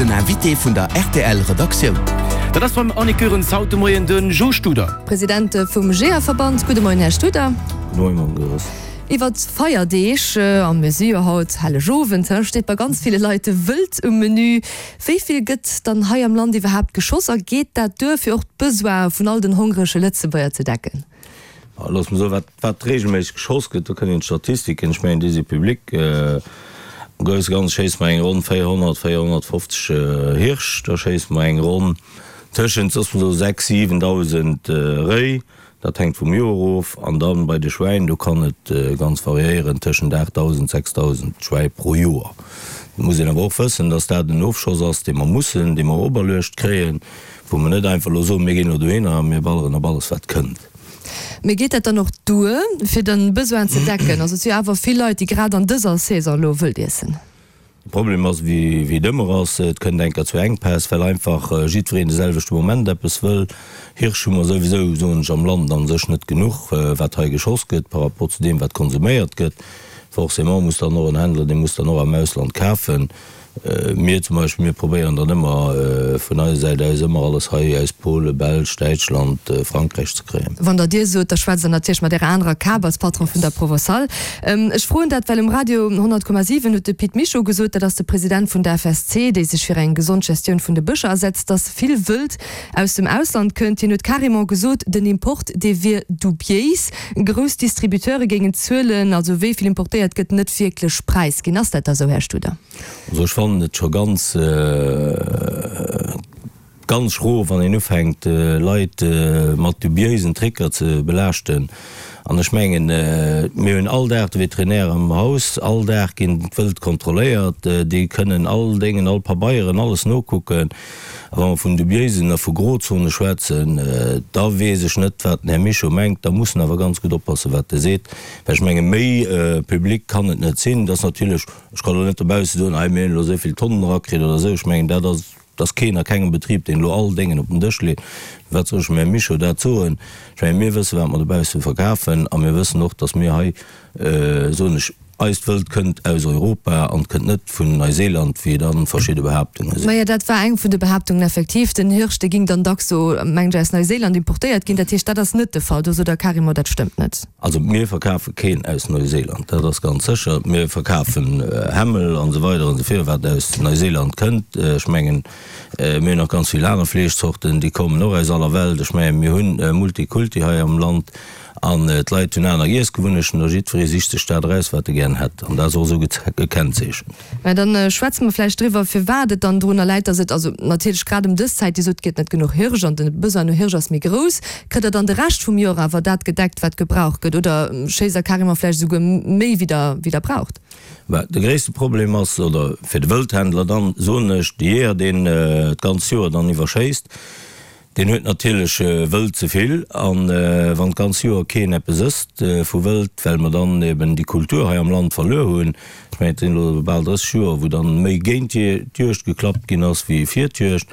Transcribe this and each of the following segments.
Den Invité vun der rtl Redaktioun. Dat ass beim Annick Goerens haut de Moien de Jo Studer. President vum Jeeërverband. Gudde Moien, Här Studer. Gudde Moien, Mme Goerens. Iwwer d'Feierdeeg, a mir si jo haut Hellegowend, steet bei ganz ville Leit de Wëld um Menü. Wéi vill gëtt dann hei am Land iwwerhaapt geschoss a geet dat duer, fir och d'Besoine vun all den hongrege Lëtzebuerger ze decken? Looss mer soen, wat, wat regelméisseg geschoss gëtt, do kënnt een d'Statistiken, ech mengen, déi si public. Am grousse Ganze schéisse mer eng ronn 400, 450 Hirsch, da schéisse mer eng ronn tëschent, looss mer soen, 6, 7.000 Réi, dat hänkt vum Joer of. An da bei de Schwäin, do kann et ganz variéieren tëschent 8.000, 6.000 Schwäi pro Joer. Et muss een awer och wëssen, dass dat en Ofschoss ass, dee mer mussen, dee mer operluecht kréien, wou mer net einfach elo soen, mir ginn elo dohinner a mir balleren op alles, wat kënnt. Mee geet dat dann och duer, fir de Besoin ze decken? Also et si jo awer vill Leit, déi grad an dëser Saison elo wëld iessen. De Problem ass, wéi et ëmmer ass, et kënnt eng Kéier zu Enkpäss, well einfach jiddwereen de selwechte Moment eppes wëll. Hirsch hu mer souwisou, soen ech, am Land a sech net genuch, wat hei geschoss gëtt par rapport zu deem, wat konsuméiert gëtt. Forcément muss dann och en Händler, dee muss dann och am Ausland kafen. Mir zum Beispill, mir probéieren dann ëmmer vun eiser Säit aus ëmmer alles hei aus Polen, Belsch, Däitschland, Frankräich ze kréien. Wann Der Dir sot, da schwätzt Der natierlech mat Ärer anerer Kap als Patron vun der Provençale. Ech froen dat, well um Radio 100,7 huet de Pit Mischo gesot, dat ass de President vun der FSC, déi sech fir eng gesond Gestioun vun de Bëscher asetzt, datt vill Wëld aus dem Ausland kënnt. Hien huet carrément gesot, den Import, dee wier dubiéis. Grouss Distributeure géingen d'Zuelen, also wéi vill importéiert gëtt, net wierklech präisginn. Ass dat da sou, Här Studer? Also ech fannen et scho ganz, ganz schro, wann een ufänkt Leit mat dubiéisen Tricker ze belaaschten. An ech mengen, mir hunn all Dag de Vétérinaire am Haus, all Dag ginn d'Wëld kontrolléiert, déi kënnen all Déngen, all Pabeieren, alles nokucken. A wa mer vun dubiéisen a vu Grozone schwätzen, da weess ech net, wat den Här Mischo mengt. Da muss en awer ganz gutt oppassen, wat e seet, well ech menge méi public kann et net sinn. Et ass natierlech, ech kann elo net dobausse soen, hei mir hunn elo esou vill Tonnen erakritt oder esou. Ech mengen, dat ass, et ass keen a kengem Betrib, deen elo all Déngen op den Dësch leet. Wat soll ech dem Här Mischo dat soen? Ech menge mir wësse wat mer dobausse verkafen a mir wëssen och, datt mir hei, soen ech, Eist Wëld kënnt aus Europa an kënnt net vun Neuseeland, wéi dann verschidde Behaaptunge sinn. Majo, dat war eng vun de Behaaptungen effektiv. Den Hirsch, dee ging dann dacks do, mengen ech, aus Neuseeland importéiert ginn. Dat heescht, dat ass net de Fall. Do sot Der carrément, dat stëmmt net. Also mir verkafe keen aus Neuseeland, dat ass ganz sécher. Mir verkafen Hämmel an esou weider an esou virun, wat aus Neuseeland kënnt. Ech mengen, mir hunn nach ganz vill aner Fleeschzorten, déi kommen och aus aller Welt. Ech mengen, mir hunn Multikulti hei am Land. An d'Leit hunn aner Iessgewunnechten a jiddweree sicht sech dat eraus, wat e gären hätt. An dat ass och esou gekennzeechent. Mä da schwätze mer vläicht driwwer, firwat et dann drunner läit, dass et, also natierlech grad ëm dës Zäit, Dir sot, et gëtt net genuch Hirsch an de Besoin no Hirsch ass méi grouss. Kritt Der dann de Rescht vum Joer awer dat gedeckt, wat gebraucht gëtt, oder schéisst Der carrément vläicht esouguer méi, wéi Der, wéi Der braucht? Mä de gréisste Problem ass, oder fir de Wëldhändler dann, soen ech, de Jeeër, deen d'ganz Joer dann iwwer schéisst, Deen huet natierlech Wëld ze vill an wann d'ganz Joer keen eppes ësst vu Wëld, well mer dann eben déi Kultur hei am Land verluer hunn, ech mengen et sinn elo bal 30 Joer wou dann méi géint d'Juegd geklappt ginn ass wéi fir d'Juegd,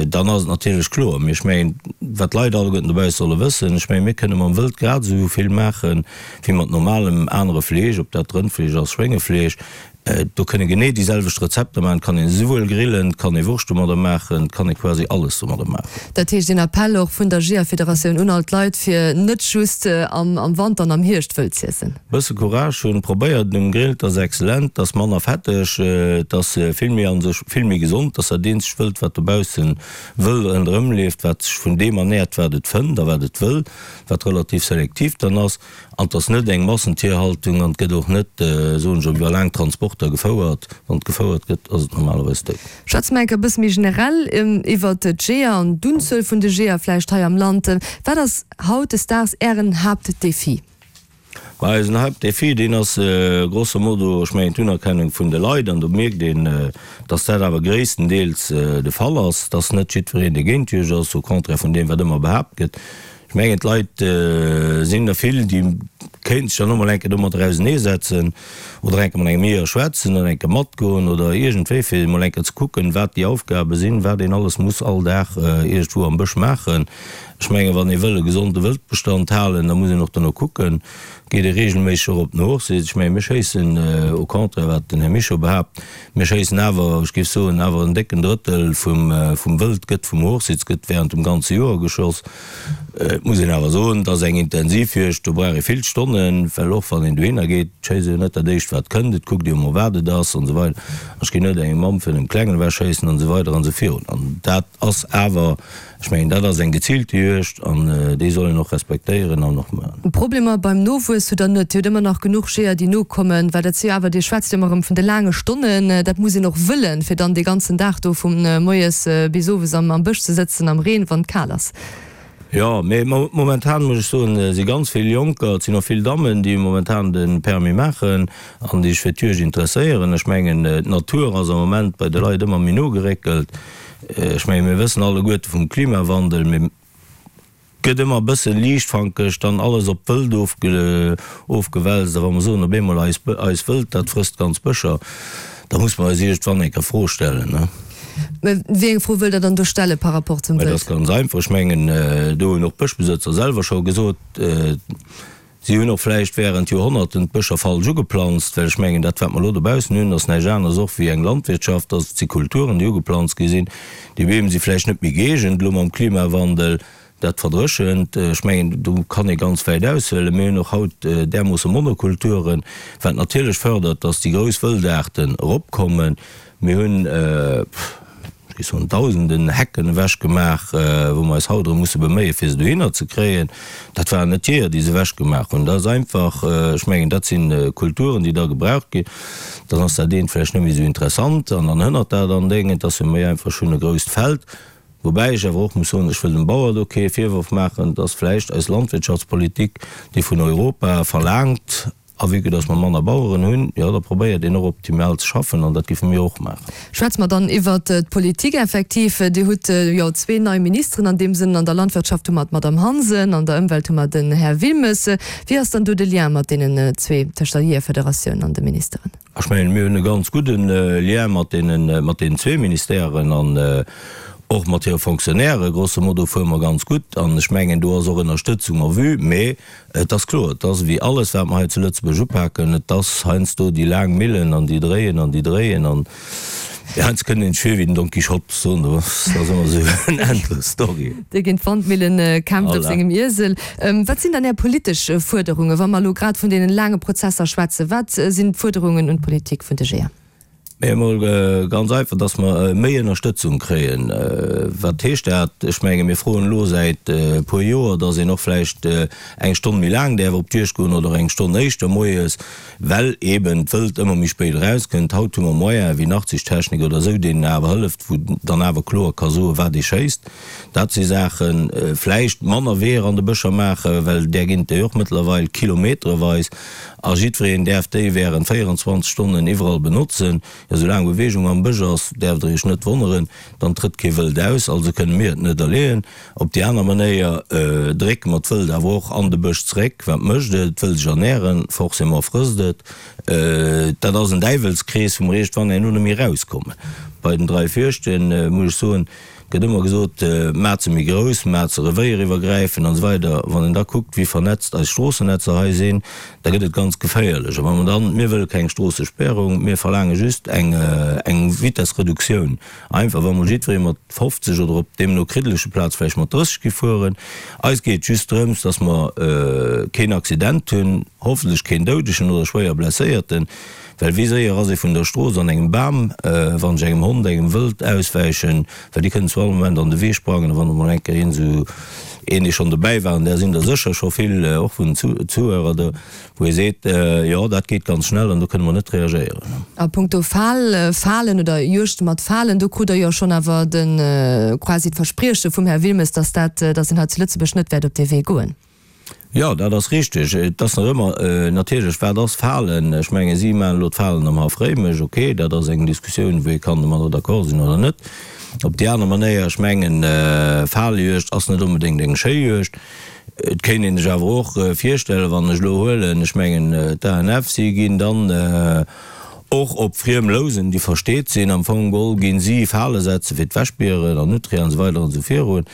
dann ass et natierlech kloer. Mee ech mengen wat d'Leit alleguerten dobausse solle wëssen, ech mengen mir kënne mam Wëld grad esou vill maache wéi mat normalem anere Fleesch, ob dat Rëndfleesch ass, Schwéngefleesch. Do kënne genee déi selwecht Rezepter maachen, et kann een esouwuel grillen, et kann ee Wurscht domadder maachen, et kann ee quasi alles domadder maachen. Dat heescht een Appell och vun der Jeeërfederatioun un all d'Leit, fir net just am Wanter an am Hierscht Wëld z'iessen. Bësse Courage hunn, probéiert et um Grill, 't ass excellent, 't ass manner fetteg, 't ass vill méi an sech vill méi gesond, 't ass dat eenzegt Wëld wat dobaussen wëll ronderëm leeft, wat sech vun deem ernährt wat et fënnt a wat et wëll, wat relativ selektiv dann ass. An et ass net eng Massentierhaltung an et gëtt och net, soen ech, iwwer laang Transporter gefouert. Wann et gefouert gëtt, ass et normalerweis dout. Schwätze mer enk e bësse méi generell iwwert d'Jeeër an d'Unzuel vun de Jeeër vläicht hei am Land. Wat ass hautdesdaags Ären Haaptdefi? Ma eisen Haaptdefi, deen ass grosso modo, ech mengen, d'Unerkennung vun de Leit. An do mierkt een, dass dat awer gréisstendeels de Fall ass, dass net jiddwereen, dee géint d'Juegd ass, au contraire vun deem, wat ëmmer behaapt gëtt. Ech mengen, d'Leit sinn der vill, déi. Kéint sech dann och mol eng Kéier domadder auseneesetzen oder eng Kéier mat engem Jeeër schwätzen oder eng Kéier matgoen oder iergendwéi, fir mol eng Kéier ze kucken, wat déi Aufgabe sinn, wat een alles muss all Dag iergendwou am Bësch maachen. Ech mengen, wann ee wëll e gesonde Wëldbestand halen, da muss een och dono kucken. Geet ee regelméisseg och op den Hochsitz? Ech mengen, mir schéissen, au contraire wat den Här Mischo behaapt, mir schéissen awer, ech géif soen, awer en décken Drëttel vum, vum Wëld gëtt vum Hochsitz, gëtt während dem ganze Joer geschoss. Et muss een awer soen, et ass eng intensiv Juegd, do brauch ee vill Stonnen, well och wann een dohinner geet, et schéisst ee jo net dat éischt wat kënnt, et kuckt ee jo mol wat et ass an esou weider. Ech ginn net engem Mamm virun engem Klengen ewech schéissen an esou weider an esou virun. An dat ass awer, ech mengen, dat ass eng geziilte Juegd an déi soll een och respektéieren an och maachen. Problemer beim Nowuess hutt Der net? Dir hutt ëmmer nach genuch Jeeër déi nokommen, well dat si jo awer, Dir schwätzt jo ëmmer erëm vun de laange Stonnen, dat muss een och wëllen, fir dann dee ganzen Dag do vu moies bis owes am Bësch ze sëtzen am Reen, wann et kal ass. Jo, mee momentan muss ech soen, si ganz vill Jonker, et sinn och vill Dammen, déi momentan de Permis maachen an déi sech fir d'Juegd interesséieren. Ech mengen, d'Natur ass am Moment bei de Leit ëmmer méi no geréckelt. Ech mengen, mir wëssen alleguerte vum Klimawandel, mee et gëtt ëmmer e bësse liichtfankeg dann alles op d'Wëld ofgewälzt. A wa mer soen op eemol, eis Wëld, dat frësst ganz Bëscher, da muss mer eis iergendwann eng Kéier Fro stellen. Mä wéi eng Fro wëllt Der dann do stelle par rapport zum Wëld? Dat ass ganz einfach. Ech mengen, do hunn och d'Bëschbesëtzer selwer scho gesot, si hunn och vläicht während Joerhonnerten d'Bëscher falsch ugeplanzt, well ech mengen, dat wat mer elo dobaussen hunn, ass näischt aneres och wéi eng Landwirtschaft, dass et si Kulturen, déi ugeplanzt gi sinn. Déi Beem si vläicht net méi gëeegent elo mam Klimawandel. Dat verdréchent, ech mengen, do kann ee ganz wäit aushuelen. Mir hunn och haut därmoosse Monokulturen, wat natierlech fördert, dass déi grouss Wëldaarten eropkommen. Mir hunn, ech géif soen, Dausenden Hecken ewechgemaach, wou mer eis haut erëm musse beméien, fir se dohinner ze kréien. Dat waren net d'Jeeër, déi se ewechgemaach hunn. Dat ass einfach, ech mengen, dat si Kulturen, déi da gebraucht ginn. Dann ass dat eent vläicht net méi esou interessant an dann hënnert dat an Déngen. Et ass jo méi einfach, ech hunn e grousst Feld. Woubäi ech awer och muss soen, ech wëll dem Bauer do kee Virworf maachen, dass vläicht eis Landwirtschaftspolitik, déi vun Europa verlaangt, a vue que dass mer manner Baueren hunn, jo, da probéiert een och optimal ze schaffen an dat géife mir och maachen. Schwätze mer dann iwwert d'Politik effektiv. Dir hutt jo zwee nei Ministeren an deem Sënn. An der Landwirtschaft hu mer d'Madame Hansen, an der Ëmwelt hu mer den Här Wilmes. Wéi ass dann do de Lien mat deenen zwee, tëscht der Jeeërfederatioun an de Ministeren? Ech mengen, mir hunn e ganz gudde Lien mat deenen, mat deenen zwee Ministèren an och mat hire Fonctionnaires. Grosso modo fuere mer ganz gutt an ech mengen, do ass och Ënnerstëtzung en vue. Mee et ass kloer, et ass ewéi alles, wat mer hei zu Lëtzebuerg upaken, et ass heiansdo déi laang Millen an déi dréien an déi dréien an heiansdo kënnt een sech vir wéi den Don Quichotte, soen, dat ass ëmmer esou en endless Story. Dee géint d'Wandmillen kämpft op sengem Iesel. Wat sinn dann Är politesch Fuerderungen, wa mer elo grad vun deenen laange Prozesser schwätzen? Wat sinn d'Fuerderungen un d'Politik vun de Jeeër? Mee emol ganz einfach, dass mer méi Ënnerstëtzung kréien. Wat heescht dat? Ech menge mir froen elo säit e puer Joer, dass een och vläicht eng Stonn méi laang däerf op d'Juegd goen oder eng Stonn éischter moies, well eeben d'Wëld ëmmer méi spéit erauskënnt. Haut hu mer Moyene wéi Nachtsichttechnik oder esou, deenen awer hëlleft, wou dann awer kloer ka soen, wat ee schéisst. Dat si Saachen. Vläicht manner Weeër an de Bëscher maachen, well där ginn et jo och mëttlerweil kilometereweis a jiddwereen däerf déi während 24 Stonnen iwwerall benotzen. Jo, soulaang Beweegung am Bësch ass, däerft Der Iech net wonneren, dann trëtt kee Wëld aus. Also kënne mir et net erleeën. Op déi aner Manéier drécke mer d'Wëld awer och an de Bësch zeréck. Wat mécht et? Et wëll sech ernären, forcément frësst et. Dat ass en Däiwelskrees, wou mer iergendwann herno net méi erauskommen. Bei den 3 Fürchten, muss ech soen, Gëtt ëmmer gesot, maat se méi grouss, maat se revéieriwwergräifend an esou weider. Wann een da kuckt, wéi vernetzt eis Stroossenetzer hei sinn, da gëtt et ganz geféierlech. A wa mer dann, mir wëlle keng Stroossesperrung, mir verlaange just eng, eng Vitessreduktioun, einfach wa mol jiddweree mat 50 oder op deemno kriddelege Plaz vläicht mat 30 gi fueren. Eis geet et just drëms, dass mer keen Accident hunn, hoffentlech keen Doudegen oder schwéier Blesséierten. Well wéi séier ass ee vun der Strooss an engem Bam, wann ech engem Hond, engem Wëld auswäichen, well déi kënnen zu all Moment an de Wee sprangen. A wann emol eng Kéier een esou een, dee schonn dobäi war, an där sinn der sécher scho vill, och vun den Zuhörer do, wou ee seet, jo, dat geet ganz schnell an do kënne mer net reagéieren. A punkto Fal, Falen oder Juegd mat Falen, do krut Der jo schonn awer de quasi d'Versprieche vum Här Wilmes, dass dat, dass een hei zu Lëtzebuerg net wäert op dee Wee goen. Jo, dat ass richteg. Et ass nach ëmmer natierlech, wat ass Falen? Ech mengen, si maachen elo d'Falen am Haff Réimech. Okay, dat ass eng Diskussioun, wou ee kann domadder d'accord sinn oder net. Op déi aner Manéier, ech mengen, Falejuegd ass net onbedéngt eng schéi Juegd. Et kéint een sech awer och virstellen, wann ech elo huelen, ech mengen d'ANF, si ginn dann och op friem Lousen, déi versteet sinn, am Fong geholl ginn si Fale setze fir d'Wäschbieren an Nutria an esou weider an esou virun.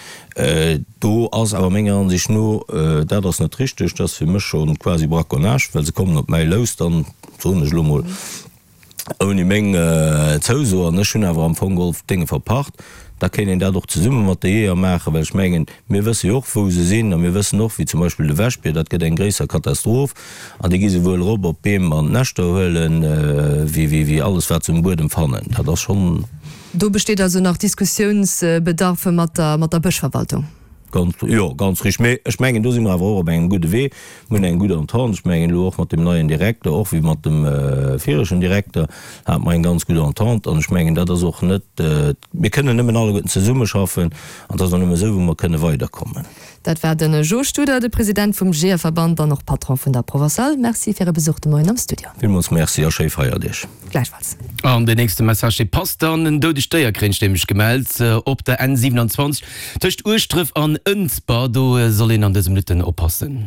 Do ass awer menger Ansicht no, dat ass net richteg, dat ass fir mech scho quasi Braconnage, well se kommen op mäi Lous dann, soen ech elo mol, ouni meng Zouso, an ech hunn awer am Fong geholl d'Dénge verpacht, da kéint een dat och zesumme mat de Jeeër maachen, well ech mengen, mir wësse jo och, wou se sinn, a mir wëssen och, wéi zum Beispill de Wäschbier, dat gëtt eng gréisser Katastroph, an déi gi souwuel erop op d'Beem an d'Näschter huelen, wéi, wéi, wéi alles, wat se um Buedem fannen. Dat ass schonn. Do besteet also nach Diskussiounsbedarf mat der, mat der Bëschverwaltung? Ganz, jo, ganz richteg. Mee ech mengen, do si mer awer och op engem gudde Wee. Mir hunn eng gutt Entente. Ech mengen elo och mat deem neien Direkter, och wéi mat dem viregten Direkter, hate mer eng ganz gutt Entente. An ech mengen, dat ass och net, mir kënnen nëmmen alleguerten zesummeschaffen an et ass och nëmme esou, wou mer kënne weiderkommen. Dat war de Jo Studer, de President vum Jeeërverband an och Patron vun der Provençale. Merci fir Är Besuch de Moien am Studio. Villmools Merci a schéi Feierdeeg. Gläichfalls. An den nächste Message, dee passt dann, En doudegt Déier kréint ech nämlech gemellt op der N 27 tëscht Ueschdref an Ënsber. Do soll een an dëse Minutten oppassen.